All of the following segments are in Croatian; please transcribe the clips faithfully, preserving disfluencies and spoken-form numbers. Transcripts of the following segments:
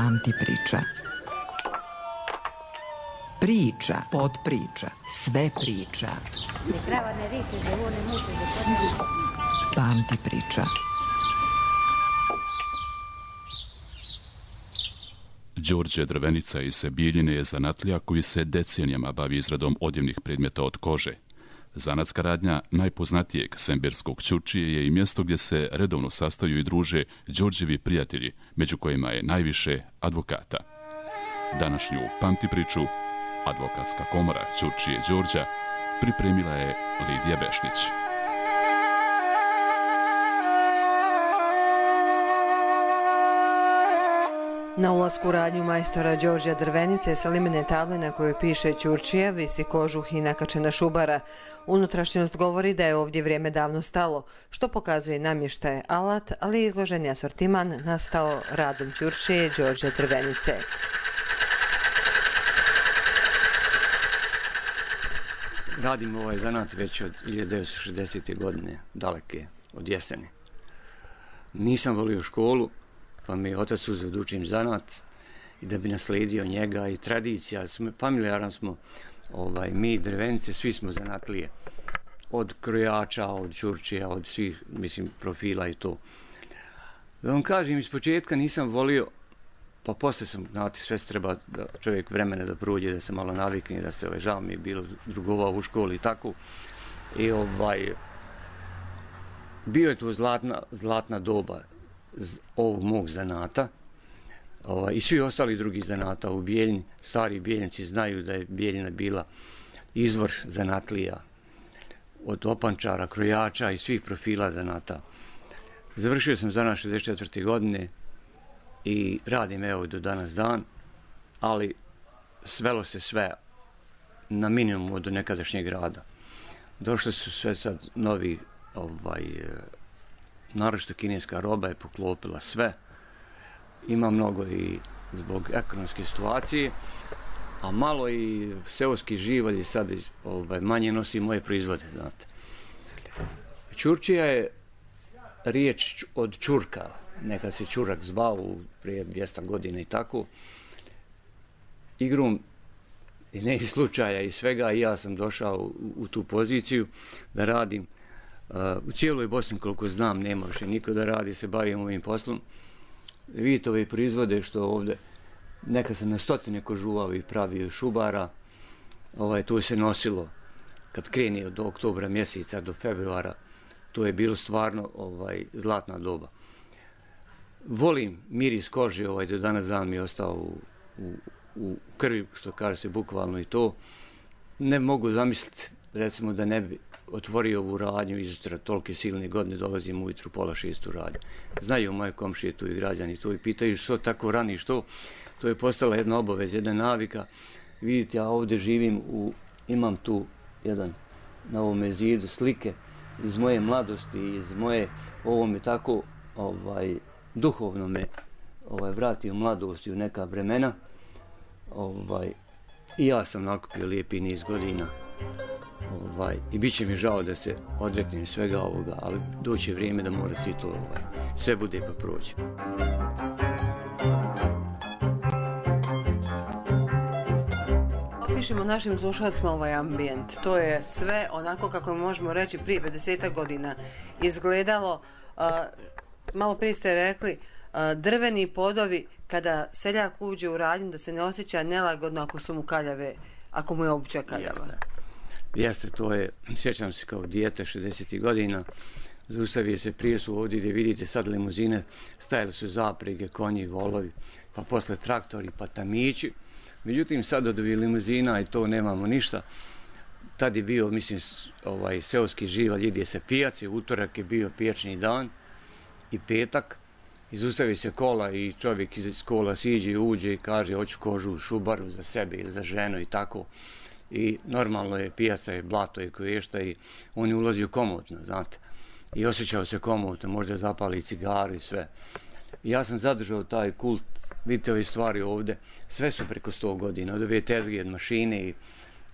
Pamti priča. Priča, podpriča, sve priča. Pamti priča. Đorđe Drvenica iz Bijeljine je zanatlija koji se decenijama bavi izradom odjevnih predmeta od kože. Zanatska radnja najpoznatijeg semberskog ćurčije je i mjesto gdje se redovno sastaju i druže Đorđevi prijatelji, među kojima je najviše advokata. Današnju Pamti priču Advokatska komora Ćurčije Đorđa pripremila je Lidija Bešnić. Na ulasku u radnju majstora Đorđa Drvenice sa limene table na kojoj piše Ćurčija visi kožuh i nakačena šubara. Unutrašnjost govori da je ovdje vrijeme davno stalo, što pokazuje namještaj alat, ali izloženi asortiman nastao radom Ćurčije Đorđa Drvenice. Radim ovaj zanat već od hiljadu devetsto šezdesete. godine, daleke, od jeseni. Nisam volio školu, pa mi je otac uzeo da učim zanat i da bi naslijedio njega i tradicija. Familijaran smo, ovaj, mi Drvenice, svi smo zanatlije. Od krojača, od ćurčija, od svih, mislim, profila i to. Da vam kažem, iz početka nisam volio, pa poslije sam, znate, sve se treba da čovjek vremena da prođe, da se malo navikne, da se, ovaj, žao mi je bilo drugovao u školi i tako. I ovaj, bio je to zlatna, zlatna doba ovog mog zanata, ovaj, i svi ostali drugi zanata u Bijeljini. Stari Bijeljnici znaju da je Bijeljina bila izvor zanatlija, od opančara, krojača i svih profila zanata. Završio sam zanat šezdeset četvrte. godine i radim evo do danas dan, ali svelo se sve na minimum od nekadašnjeg rada. Došli su sve sad novi, ovaj, naročito kineska roba je poklopila sve. Ima mnogo i zbog ekonomske situacije, a malo i seoski živalj sad ovaj, manje nosi moje proizvode, znate. Ćurčija je riječ od čurka, nekad se čurak zvao prije dvjesto godina i tako. Igrom i ne slučaja i svega, i ja sam došao u, u tu poziciju da radim. Uh, u cijeloj Bosni, koliko znam, nema više niko da radi, se bavim ovim poslom. Vidite ove proizvode što ovdje, neka sam na stotine kožuvao i pravio šubara, ovaj, to se nosilo kad kreni od oktobra mjeseca do februara, to je bilo stvarno ovaj, zlatna doba. Volim miris kože, ovaj, do danas dan mi je ostao u, u, u krvi, što kaže se bukvalno i to. Ne mogu zamisliti, recimo, da ne bi otvorio ovu radnju izutra tolike silne godine, dolazim ujutru pola šest u radnju. Znaju moje komšije tu i građani tu i pitaju što tako rani, što. To je postala jedna obaveza, jedna navika. Vidite, ja ovdje živim, u, imam tu jedan na ovome zidu slike iz moje mladosti, iz moje, ovo me tako ovaj, duhovno me ovaj, vrati u mladost i u neka vremena. Ovaj, I ja sam nakupio lijepi niz godina. Ovaj, I bit će mi žao da se odreknem svega ovoga, ali doće vrijeme da mora svi to, ovaj, sve bude pa prođe. Opišemo našim slušalcima ovaj ambijent. To je sve onako kako možemo reći prije pedeset godina izgledalo. Uh, malo prije ste rekli, uh, drveni podovi, kada seljak uđe u radnju da se ne osjeća nelagodno ako su mu kaljave, ako mu je obuća kaljava. Jeste. Jeste, to je, sjećam se kao dijete šezdesetih godina, zaustavio se prije su ovdje gdje vidite sad limuzine, stajali su zaprege, konji, volovi, pa posle traktori, pa tamići. Međutim, sad od ovih limuzina i to nemamo ništa. Tad je bio, mislim, ovaj, seoski živalj, ide se pijaci, utorak je bio pijačni dan i petak. Izustavi se kola i čovjek iz kola siđe i uđe i kaže hoću kožu, šubaru za sebe ili za ženu i tako. I normalno je, pijaca je, blato je koješta i on je ulazio komotno, znate. I osjećao se komotno, možda zapali cigaru i sve. I ja sam zadržao taj kult, vidite ove stvari ovdje, sve su preko sto godina, od ove tezge, od mašine i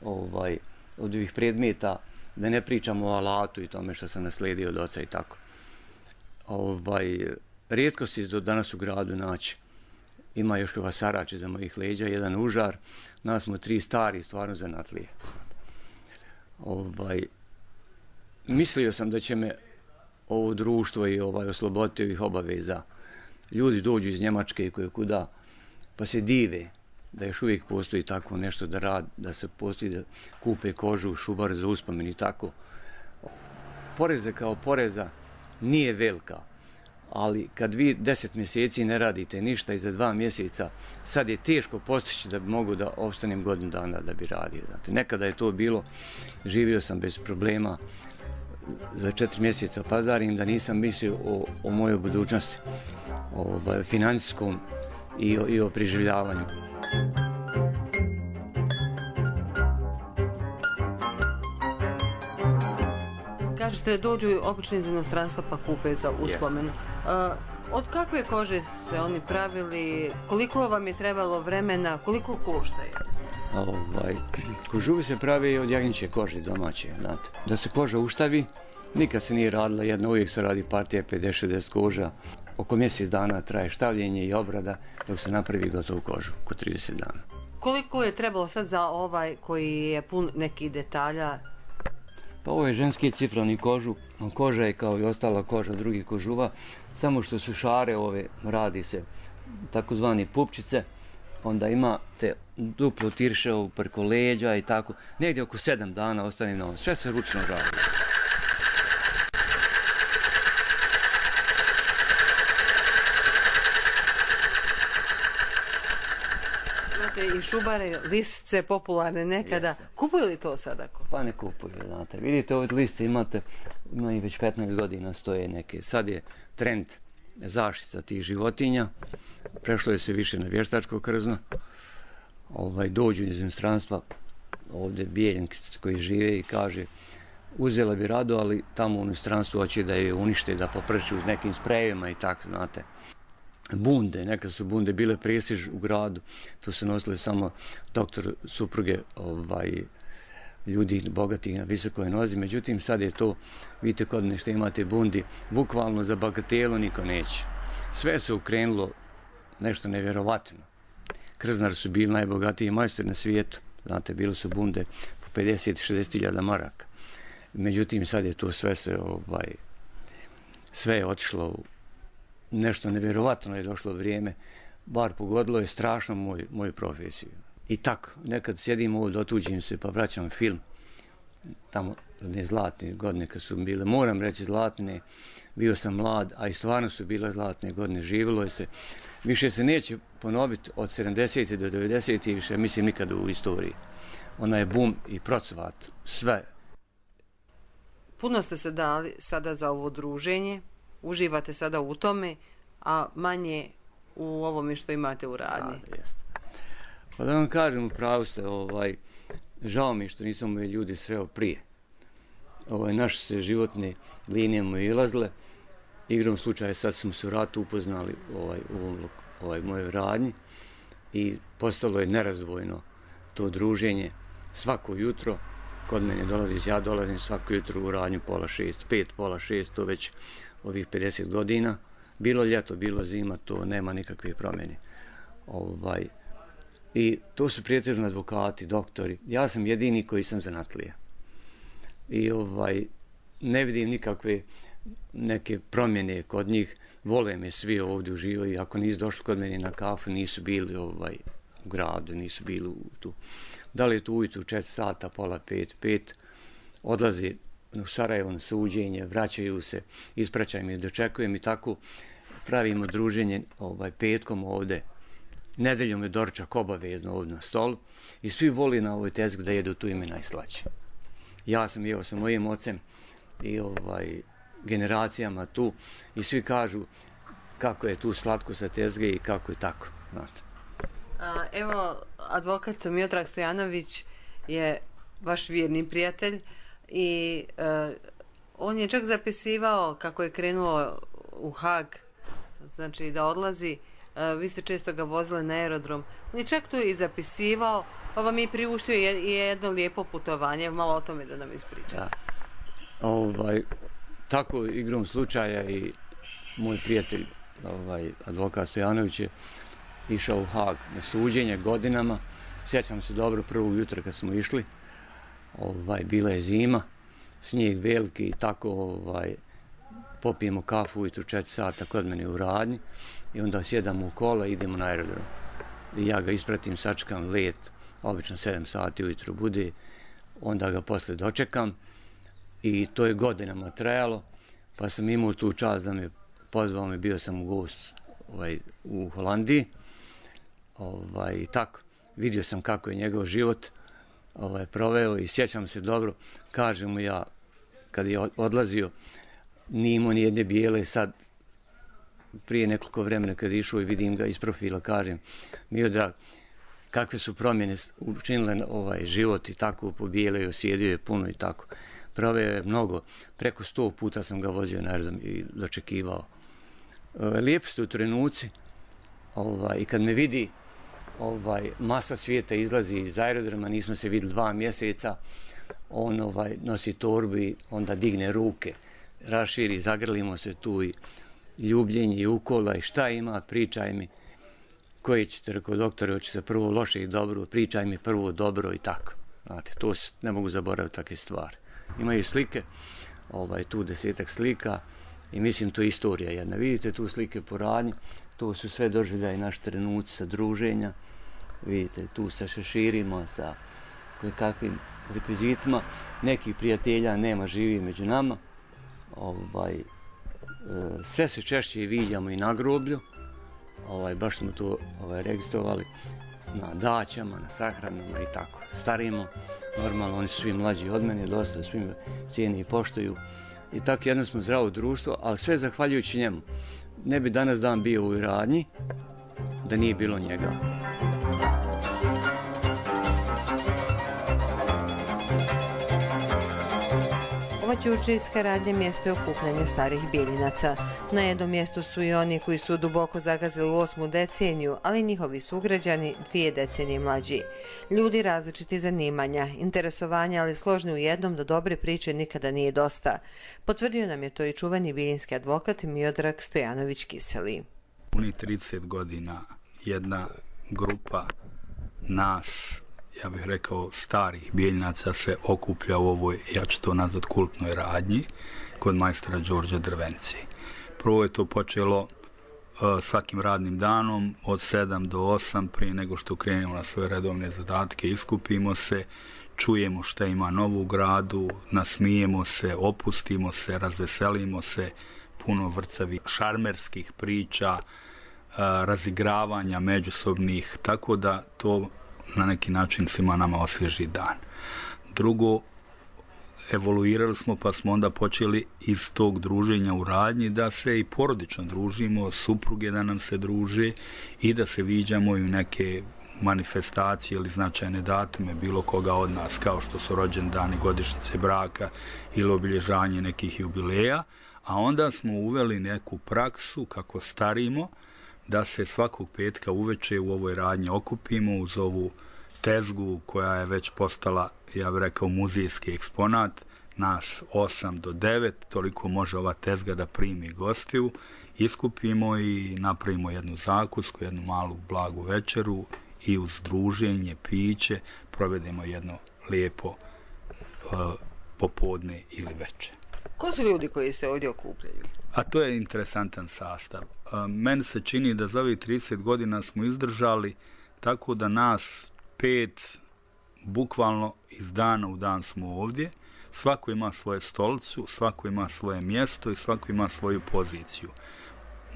ovaj, od ovih predmeta, da ne pričamo o alatu i tome što sam naslijedio od oca i tako. Ovaj, rijetko si do danas u gradu naći ima još vasarač iza mojih leđa, jedan užar, nas smo tri stari stvarno zanatlije. Ovaj, mislio sam da će me ovo društvo i ovaj, osloboditi ovih obaveza. Ljudi dođu iz Njemačke i koje kuda, pa se dive da još uvijek postoji tako nešto da rad, da se postoji da kupe kožu, šubar za uspomen i tako. Poreza kao poreza nije velika, ali kad vi deset mjeseci ne radite ništa i za dva mjeseca, sad je teško postići da bi mogu da opstanem godinu dana da bi radio. Znate, nekada je to bilo, živio sam bez problema, za četiri mjeseca pazarim, da nisam mislio o, o mojoj budućnosti, o, o financijskom i o, i o preživljavanju. Kažete, dođu obično iz inostranstva pa kupe za uspomenu. Yes. Uh, od kakve kože se oni pravili, koliko vam je trebalo vremena, koliko koštaju? Ovaj, kožuvi se pravi od jagnjeće kože domaće, znate. Da se koža uštavi, nikad se nije radila jedna, uvijek se radi partija pedeset šezdeset koža. Oko mjesec dana traje štavljenje i obrada dok se napravi gotovu kožu, oko trideset dana. Koliko je trebalo sad za ovaj koji je pun nekih detalja? Pa ovo je ženski cifrani kožu, koža je kao i ostala koža drugih kožuva, samo što su šare ove, radi se takozvani pupčice, onda imate duplo tirševo preko leđa i tako, negdje oko sedam dana ostane na ovom, sve se ručno radi. I šubare, listce popularne nekada. Yes. Kupuju li to sada? Pa ne kupuju, znate. Vidite, ove liste imate, imaju već petnaest godina stoje neke. Sad je trend zaštita tih životinja. Prešlo je se više na vještačko krzno. Ovaj, dođu iz inostranstva, ovdje Bijeljenki koji žive i kaže uzela bi rado, ali tamo u inostranstvu hoće da je unište, da poprču nekim sprejevima i tako, znate. Bunde, nekad su bunde bile prestiž u gradu, to su nosile samo doktor, supruge, ovaj, ljudi bogatih na visokoj nozi, međutim sad je to, vidite kod nešto imate bundi, bukvalno za bagatelu niko neće. Sve se ukrenulo nešto nevjerovatno. Krznari su bili najbogatiji majstori na svijetu, znate, bili su bunde po pedeset šezdeset hiljada maraka. Međutim sad je to sve se, ovaj, sve je otišlo u nešto nevjerovatno je došlo vrijeme, bar pogodilo je strašno moj, moju profesiju. I tako, nekad sjedim ovdje, otuđim se pa vraćam film, tamo ne zlatne godine kad su bile, moram reći zlatne, bio sam mlad, a i stvarno su bile zlatne godine, živjelo je se. Više se neće ponoviti od sedamdesetih do devedesetih više, mislim nikad u istoriji. Ona je bum i procvat, sve. Puno ste se dali sada za ovo druženje, uživate sada u tome, a manje u ovome što imate u radnji. Da, jeste. Pa da vam kažem, upravo ste, ovaj, žao mi što nisam ove ljudi sreo prije. Ovaj, naše se životne linije mu ilazile. Igrom slučaja sad smo se u ratu upoznali ovaj, u ovaj, mojoj radnji i postalo je nerazdvojno to druženje svako jutro. Kod mene dolazi, ja dolazim svako jutro u radnju pola šest, pet, pola šest, to već ovih pedeset godina. Bilo ljeto, bilo zima, to nema nikakve promjene. Ovaj, I to su prijetežno advokati, doktori. Ja sam jedini koji sam zanatlija. I ovaj, ne vidim nikakve neke promjene kod njih. Vole me svi ovdje uživaju. Ako nisu došli kod mene na kafu, nisu bili ovaj, u gradu, nisu bili tu. Da li je tu ujutru četiri sata, pola pet, pet, odlazi u Sarajevo na suđenje, vraćaju se, ispraćaju mi, dočekujem i tako pravimo druženje ovaj, petkom ovdje. Nedeljom je doručak obavezno ovdje na stolu i svi voli na ovoj tezgi da jedu tu ime najslađe. Ja sam jeo sa mojim ocem i ovaj, generacijama tu i svi kažu kako je tu slatko sa tezge i kako je tako. Znate. A, evo, advokat Miodrag Stojanović je vaš vjerni prijatelj i uh, on je čak zapisivao kako je krenuo u Hag, znači da odlazi. Uh, vi ste često ga vozili na aerodrom. On je čak tu i zapisivao, pa vam je priuštio i jedno lijepo putovanje. Malo o tome da nam ispričate. Da. Ovaj, tako igrom slučaja i moj prijatelj, ovaj, advokat Stojanović je išao u Hag na suđenje godinama. Sjećam se dobro prvog jutra kad smo išli, ovaj, bila je zima, snijeg veliki i tako ovaj, popijemo kafu ujutru četiri sata kod mene u radnji i onda sjedamo u kola i idemo na aerodrom. I ja ga ispratim, sačekam let, obično sedam sati ujutru bude, onda ga posle dočekam i to je godinama trajalo, pa sam imao tu čast da me pozvao me, bio sam u gost ovaj, u Holandiji, ovaj, i tako. Vidio sam kako je njegov život ovaj, proveo i sjećam se dobro, kažem mu ja, kad je odlazio, nije imao ni jedne bijele, sad prije nekoliko vremena kad je išao i vidim ga iz profila, kažem, Miodrag, kakve su promjene učinile ovaj život i tako pobijele i osjedio je puno i tako. Proveo je mnogo, preko sto puta sam ga vozio na aerodrom i dočekivao. Lijepi su trenuci ovaj, i kad me vidi, ovaj, masa svijeta izlazi iz aerodroma, nismo se vidjeli dva mjeseca, on ovaj, nosi torbu i onda digne ruke, raširi, zagrlimo se tu i ljubljenje i ukola i šta ima, pričaj mi. Koji ćete, rekao doktore, hoće se prvo loše i dobro, pričaj mi prvo dobro i tako. Znate, to ne mogu zaboraviti takve stvari. Imaju slike, ovaj, tu desetak slika i mislim to je istorija jedna. Vidite tu slike po radnji, to su sve doživljaji naši trenuci sa druženja. Vidite tu sa šeširima, sa kakvim rekvizitima. Nekih prijatelja nema, živi među nama. Ovaj, sve se češće viđamo i na groblju. Ovaj, baš smo to ovaj, registrovali na daćama, na sahranama i tako. Starimo, normalno oni su svi mlađi od mene, dosta svim cijeni i poštuju. I tako jedno smo zdravo društvo, ali sve zahvaljujući njemu. Ne bi danas dan bio u radnji da nije bilo njega. Ova ćurčijska radnja mjesto je okupljanja starih Bijeljinaca. Na jednom mjestu su i oni koji su duboko zagazili u osmu deceniju, ali njihovi sugrađani dvije decenije mlađi. Ljudi različiti zanimanja, interesovanja, ali složni u jednom da dobre priče nikada nije dosta. Potvrdio nam je to i čuveni bijeljinski advokat Miodrag Stojanović-Kiseli. Puni trideset godina jedna grupa nas, ja bih rekao starih Bijeljinaca, se okuplja u ovoj, ja ću to nazvat, kultnoj radnji kod majstora Đorđa Drvenice. Prvo je to počelo uh, svakim radnim danom od sedam do osam, prije nego što krenemo na svoje redovne zadatke, iskupimo se, čujemo šta ima novo u gradu, nasmijemo se, opustimo se, razveselimo se, puno vrcavih šarmerskih priča, uh, razigravanja međusobnih, tako da to na neki način svima nama osvježi dan. Drugo, evoluirali smo pa smo onda počeli iz tog druženja u radnji da se i porodično družimo, supruge da nam se druže i da se viđamo i u neke manifestacije ili značajne datume bilo koga od nas, kao što su rođendani, godišnjice braka ili obilježanje nekih jubileja, a onda smo uveli neku praksu kako starimo, da se svakog petka uveče u ovoj radnji okupimo uz ovu tezgu koja je već postala, ja bih rekao, muzejski eksponat, nas osam do devet, toliko može ova tezga da primi gostiju, iskupimo i napravimo jednu zakusku, jednu malu blagu večeru i uz druženje, piće, provedemo jedno lijepo uh, popodne ili večer. Ko su ljudi koji se ovdje okupljaju? A to je interesantan sastav. Meni se čini da za ovih trideset godina smo izdržali tako da nas pet, bukvalno iz dana u dan smo ovdje. Svako ima svoju stolicu, svako ima svoje mjesto i svako ima svoju poziciju.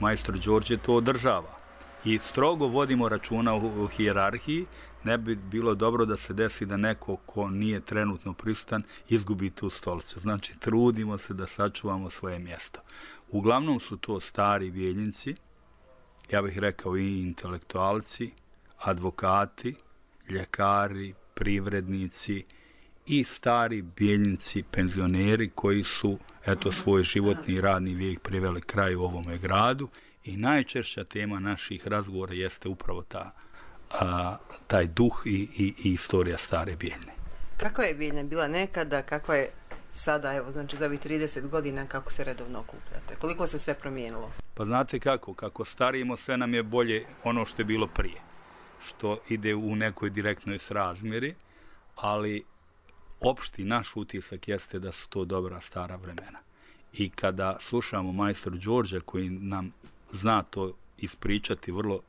Majstor Đorđe to održava. I strogo vodimo računa u hijerarhiji. Ne bi bilo dobro da se desi da neko ko nije trenutno prisutan izgubi tu stolicu. Znači, trudimo se da sačuvamo svoje mjesto. Uglavnom su to stari Bijeljinci, ja bih rekao i intelektualci, advokati, ljekari, privrednici i stari Bijeljinci, penzioneri koji su eto svoj životni i radni vijek priveli kraju u ovome gradu. I najčešća tema naših razgovora jeste upravo ta, a, taj duh i, i, i istorija stare Bijeljine. Kakva je Bijeljina bila nekada, kakva je sada, evo, znači za ovih trideset godina, kako se redovno okupljate? Koliko se sve promijenilo? Pa znate kako, kako starimo, sve nam je bolje ono što je bilo prije, što ide u nekoj direktnoj srazmjeri, ali opšti naš utisak jeste da su to dobra stara vremena. I kada slušamo majstor Đorđa koji nam zna to ispričati vrlo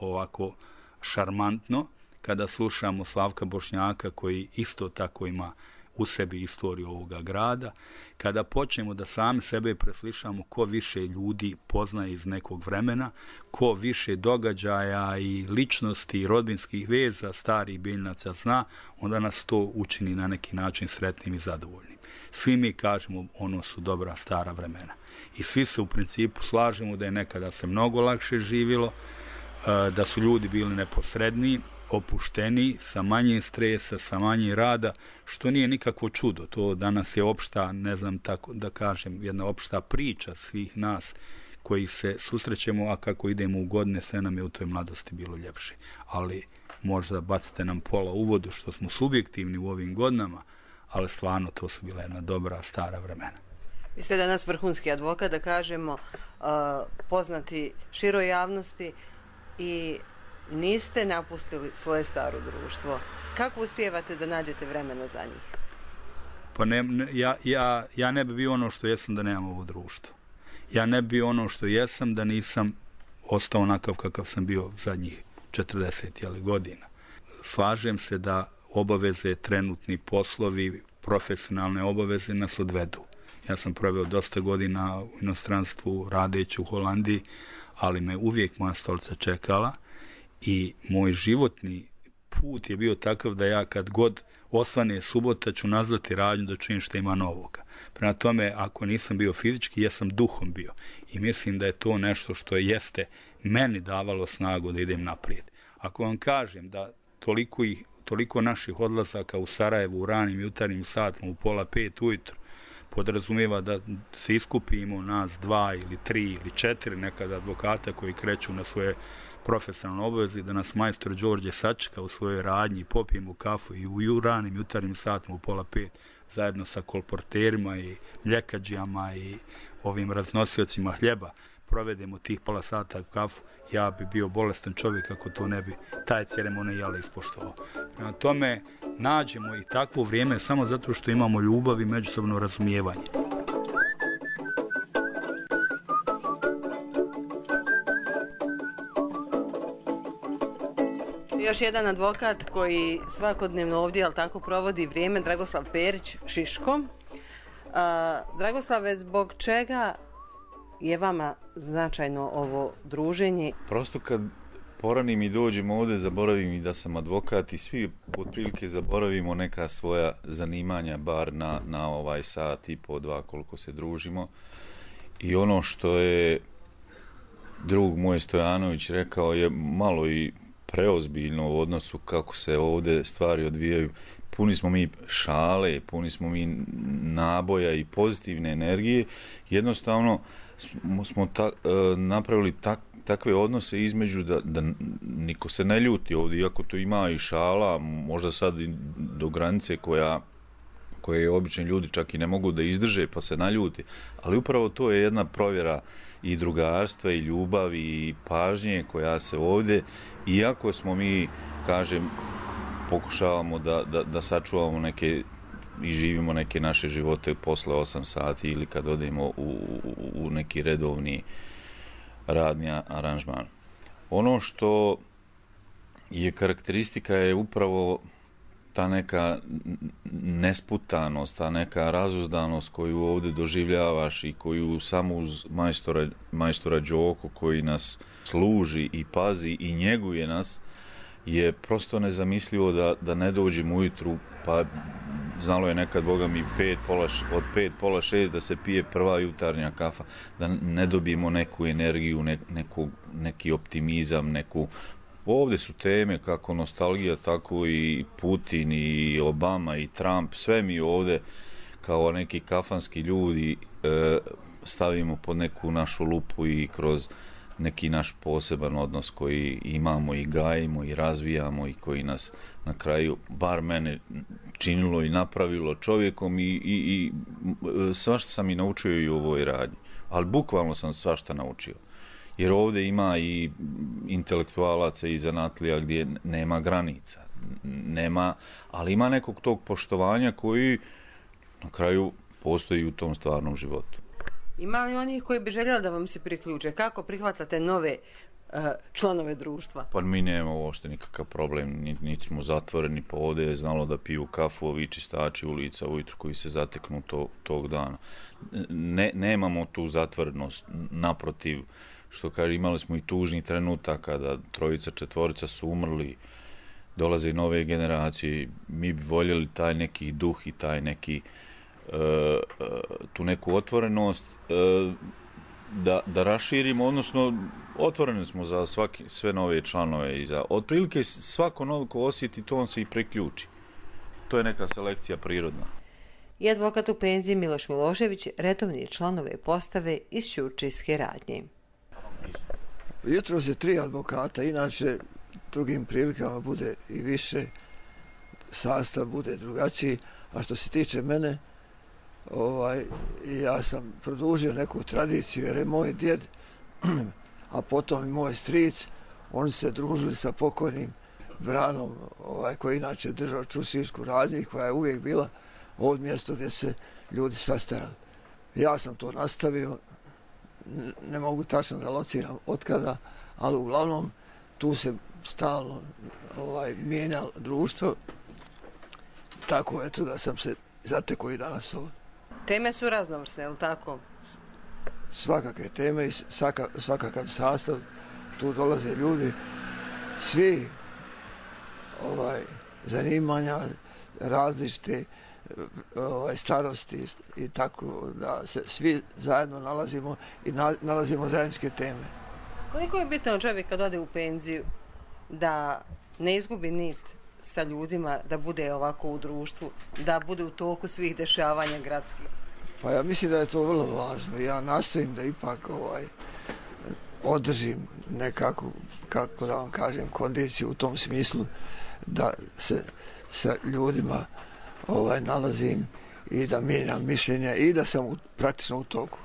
ovako šarmantno, kada slušamo Slavka Bošnjaka koji isto tako ima u sebi istoriju ovoga grada, kada počnemo da sami sebe preslišamo ko više ljudi poznaje iz nekog vremena, ko više događaja i ličnosti i rodbinskih veza starih biljnaca zna, onda nas to učini na neki način sretnim i zadovoljnim. Svi mi kažemo ono su dobra stara vremena. I svi se u principu slažemo da je nekada se mnogo lakše živjelo, da su ljudi bili neposredniji, opušteni, sa manje stresa, sa manje rada, što nije nikakvo čudo. To danas je opšta, ne znam tako da kažem, jedna opšta priča svih nas koji se susrećemo, a kako idemo u godine, sve nam je u toj mladosti bilo ljepše. Ali možda bacite nam pola u vodu što smo subjektivni u ovim godinama, ali stvarno to su bila jedna dobra stara vremena. Vi ste danas vrhunski advokat, da kažemo, poznati široj javnosti i niste napustili svoje staro društvo. Kako uspijevate da nađete vremena za njih? Pa ne, ne, ja, ja, ja ne bi bio ono što jesam da nemam ovo društvo. Ja ne bi bio ono što jesam da nisam ostao onakav kakav sam bio zadnjih četrdeset godina. Slažem se da obaveze, trenutni poslovi, profesionalne obaveze nas odvedu. Ja sam proveo dosta godina u inostranstvu radeći u Holandiji, ali me uvijek moja stolica čekala i moj životni put je bio takav da ja kad god osvane subota ću nazvati radnju da čujem što ima novoga. Prema tome, ako nisam bio fizički, ja sam duhom bio. I mislim da je to nešto što jeste meni davalo snagu da idem naprijed. Ako vam kažem da toliko, ih, toliko naših odlazaka u Sarajevu u ranim jutarnjim satima u pola pet ujutro podrazumijeva da se iskupimo nas dva ili tri ili četiri nekada advokata koji kreću na svoje profesionalne obaveze, da nas majstor Đorđe sačeka u svojoj radnji, popijemo kafu i u ranim jutarnjim satima u pola pet zajedno sa kolporterima i mljekađijama i ovim raznosiocima hljeba provedemo tih pola sata kafu, ja bi bio bolestan čovjek ako to ne bi taj ceremonijal ispoštovao. Na tome nađemo i takvo vrijeme samo zato što imamo ljubav i međusobno razumijevanje. Još jedan advokat koji svakodnevno ovdje, ali tako, provodi vrijeme, Dragoslav Perić, Šiško. A, Dragoslave, zbog čega je vama značajno ovo druženje? Prosto kad poranim i dođem ovdje, zaboravim i da sam advokat i svi otprilike zaboravimo neka svoja zanimanja, bar na, na ovaj sat i po dva koliko se družimo. I ono što je drug moj Stojanović rekao je malo i preozbiljno u odnosu kako se ovdje stvari odvijaju. Puni smo mi šale, puni smo mi naboja i pozitivne energije. Jednostavno smo, smo ta, e, napravili tak, takve odnose između da, da niko se ne ljuti ovdje, iako to ima i šala, možda sad i do granice koja koje obični ljudi čak i ne mogu da izdrže pa se naljuti, ali upravo to je jedna provjera i drugarstva i ljubavi i pažnje koja se ovdje, iako smo mi, kažem, pokušavamo da, da, da sačuvamo neke i živimo neke naše živote posle osam sati ili kad odemo u, u, u neki redovni radni aranžman. Ono što je karakteristika je upravo ta neka nesputanost, ta neka razuzdanost koju ovdje doživljavaš i koju samo uz majstora, majstora Đoku koji nas služi i pazi i njeguje nas, je prosto nezamislivo da, da ne dođemo ujutru, pa znalo je nekad, Boga mi, pet, pola, od pet, pola šest da se pije prva jutarnja kafa, da ne dobijemo neku energiju, ne, neku, neki optimizam, neku... Ovdje su teme kako nostalgija, tako i Putin i Obama i Trump, sve mi ovdje kao neki kafanski ljudi e, stavimo pod neku našu lupu i kroz neki naš poseban odnos koji imamo i gajimo i razvijamo i koji nas na kraju, bar mene, činilo i napravilo čovjekom i, i, i svašta sam i naučio i u ovoj radnji. Ali bukvalno sam svašta naučio. jer ovdje ima i intelektualaca i zanatlija gdje nema granica, nema, ali ima nekog tog poštovanja koji na kraju postoji u tom stvarnom životu. Ima li onih koji bi željeli da vam se priključe? Kako prihvatate nove uh, članove društva? Pa mi nemamo uopšte nikakav problem, niti nit smo zatvoreni, pa ovdje je znalo da piju kafu ovi čistači ulica ujutru koji se zateknu to, tog dana. Ne, nemamo tu zatvorenost, naprotiv, što kaže, imali smo i tužni trenutak kada trojica, četvorica su umrli, dolaze i nove generacije, mi bi voljeli taj neki duh i taj neki tu neku otvorenost da, da raširimo, odnosno otvoreni smo za svaki, sve nove članove i za otprilike svako novo ko osjeti to on se i priključi. To je neka selekcija prirodna. I advokat u penziji Miloš Milošević redovni članove postave iz Ćurčijske radnje. Jutro se tri advokata, inače drugim prilikama bude i više, sastav bude drugačiji, a što se tiče mene, Ovaj, ja sam produžio neku tradiciju jer je moj djed, a potom i moj stric, oni se družili sa pokojnim Branom, ovaj, koji inače držao Ćurčijsku radnju i koja je uvijek bila ovo mjesto gdje se ljudi sastajali. Ja sam to nastavio, ne mogu tačno da lociram otkada, ali uglavnom tu se stalno ovaj, mijenjalo društvo, tako eto da sam se zatekao i danas ovdje. Teme su raznovrsne, je li tako? Svakakve teme i svaka, svakakav sastav. Tu dolaze ljudi, svi ovaj, zanimanja, različite ovaj, starosti i tako da se svi zajedno nalazimo i na, nalazimo zajedničke teme. Koliko je bitno čovjek kad ode u penziju da ne izgubi nit sa ljudima, da bude ovako u društvu, da bude u toku svih dešavanja gradskih? Pa ja mislim da je to vrlo važno. Ja nastojim da ipak ovaj, održim nekako, kako da vam kažem, kondiciju u tom smislu da se sa ljudima ovaj, nalazim i da mijenjam mišljenja i da sam u, praktično u toku.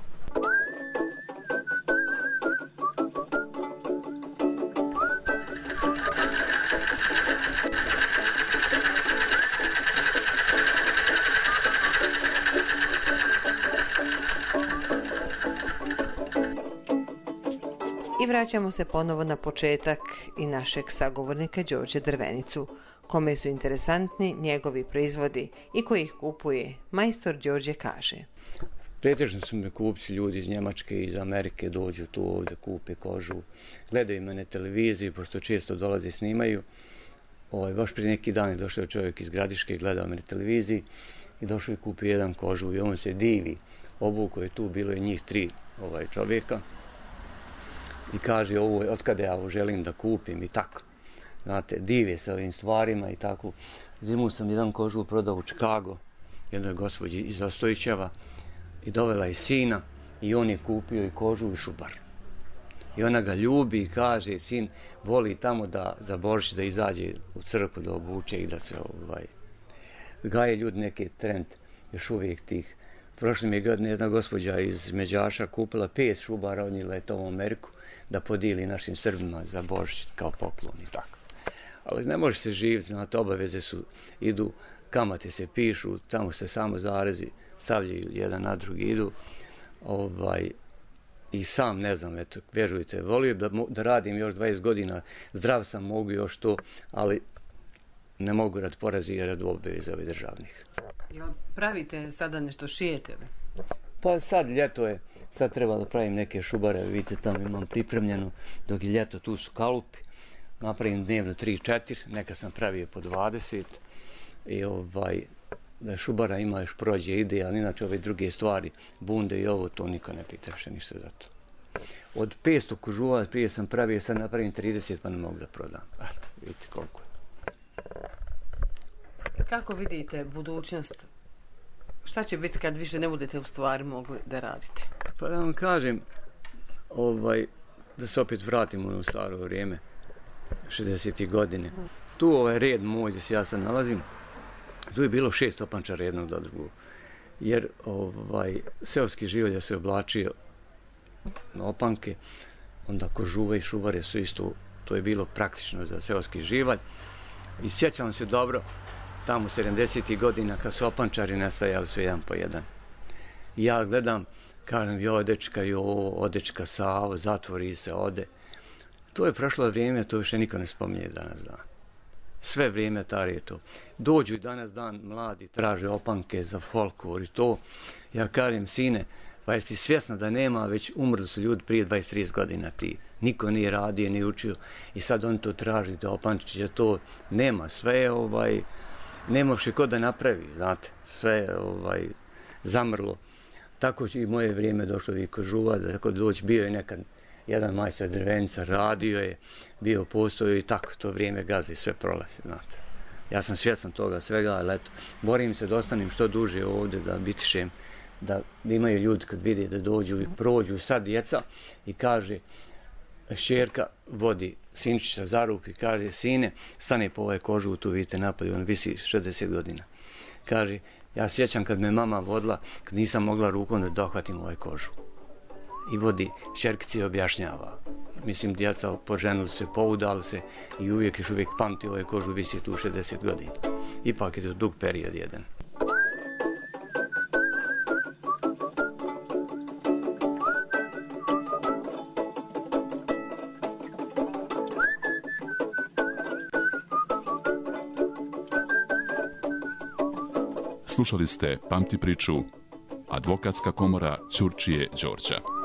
I vraćamo se ponovo na početak i našeg sagovornika Đorđe Drvenicu, kome su interesantni njegovi proizvodi i koji ih kupuje. Majstor Đorđe kaže. Pretežno su me kupci ljudi iz Njemačke i iz Amerike, dođu tu ovdje, kupe kožu, gledaju me na televiziji, pošto često dolaze i snimaju. Ovaj, baš prije neki dan je došao čovjek iz Gradiške, gledao me na televiziji i došao i kupio jedan kožu i on se divi. Obuko je tu, bilo je njih tri ovaj, čovjeka. I kaže, ovo je, otkada ja ovo želim da kupim i tako. Znate, dive se ovim stvarima i tako. Zimu sam jedan kožu prodao u Čikago, jednoj gospođi iz Ostojićeva i dovela je sina i on je kupio i kožu i šubar. I ona ga ljubi i kaže, sin voli tamo da za Božić da izađe u crkvu da obuče i da se ovaj, gaje ljudi neki trend još uvijek tih. Prošle mi je godine jedna gospođa iz Međaša kupila pet šubara, odnijela je to u Ameriku da podijeli našim Srbima za Božić kao poklon i tako. Ali ne može se živjeti, znate, obaveze su, idu, kamate se pišu, tamo se samo zarezi stavljaju jedan na drugi, idu. Ovaj, I sam ne znam, eto, vjerujte, volio da, da radim još dvadeset godina, zdrav sam, mogu još to, ali ne mogu rad porazi i rad obaveza ovih državnih. Jel pravite sada nešto, šijete li? Pa sad ljeto je, sad treba da pravim neke šubare, vidite tamo imam pripremljeno, dok je ljeto tu su kalupi, napravim dnevno tri četiri, neka sam pravio po dvadeset i ovaj, da šubara ima još prođe ide, ali inače ove druge stvari, bunde i ovo, to niko ne pritrepše ništa za to. Od petsto kožuva prije sam pravio, sad napravim trideset pa ne mogu da prodam. Eto, vidite koliko je. Kako vidite budućnost? Šta će biti kad više ne budete u stvari mogli da radite? Pa da vam kažem, ovaj, da se opet vratimo u staro vrijeme, šezdesetih godine. Tu ovaj red moj gdje se ja sad nalazim, tu je bilo šest opančara jednog do drugog. Jer ovaj, seoski život je se oblačio na opanke onda kožuve i šubare su isto, to je bilo praktično za seoski živalj. I sjećam se dobro, tamo sedamdesetih godina kad su opančari nastajali su jedan po jedan. I ja gledam, kažem, joj dečka, joj, dečka Savo, zatvori se, ode. To je prošlo vrijeme, to više niko ne spominje danas dan. Sve vrijeme tari je to. Dođu i danas dan mladi, traže opanke za folklor i to. Ja kažem, sine, pa jesi ti svjesna da nema, već umrli su ljudi prije dvadeset do trideset godina ti. Niko nije radio, nije učio i sad oni to traži, da opančiće, to nema. Sve je, ovaj, nema više ko da napravi, znate. Sve je ovaj, zamrlo. Tako i moje vrijeme došlo i kožuva, tako doći bio je nekad jedan majstor drvenica, radio je, bio postoji i tako to vrijeme gazi, sve prolazi, znate. Ja sam svjestan toga svega, ali eto, borim se da ostanem što duže ovdje, da bitišem, da imaju ljudi kad vide da dođu i prođu, sad djeca i kaže, šćerka vodi sinčića za ruku i kaže, sine, stane po ovaj kožu, tu vidite napad, on visi šezdeset godina. Kaže, ja sjećam kad me mama vodila, kad nisam mogla rukom da dohvatim ovaj kožu. I vodi, šćerkici objašnjava. Mislim, djeca poženili se, poudali se i uvijek još uvijek pamti ovaj kožu, visi tu šezdeset godina. Ipak je to dug period jedan. Slušali ste Pamti priču, Advokatska komora Ćurčije Đorđa.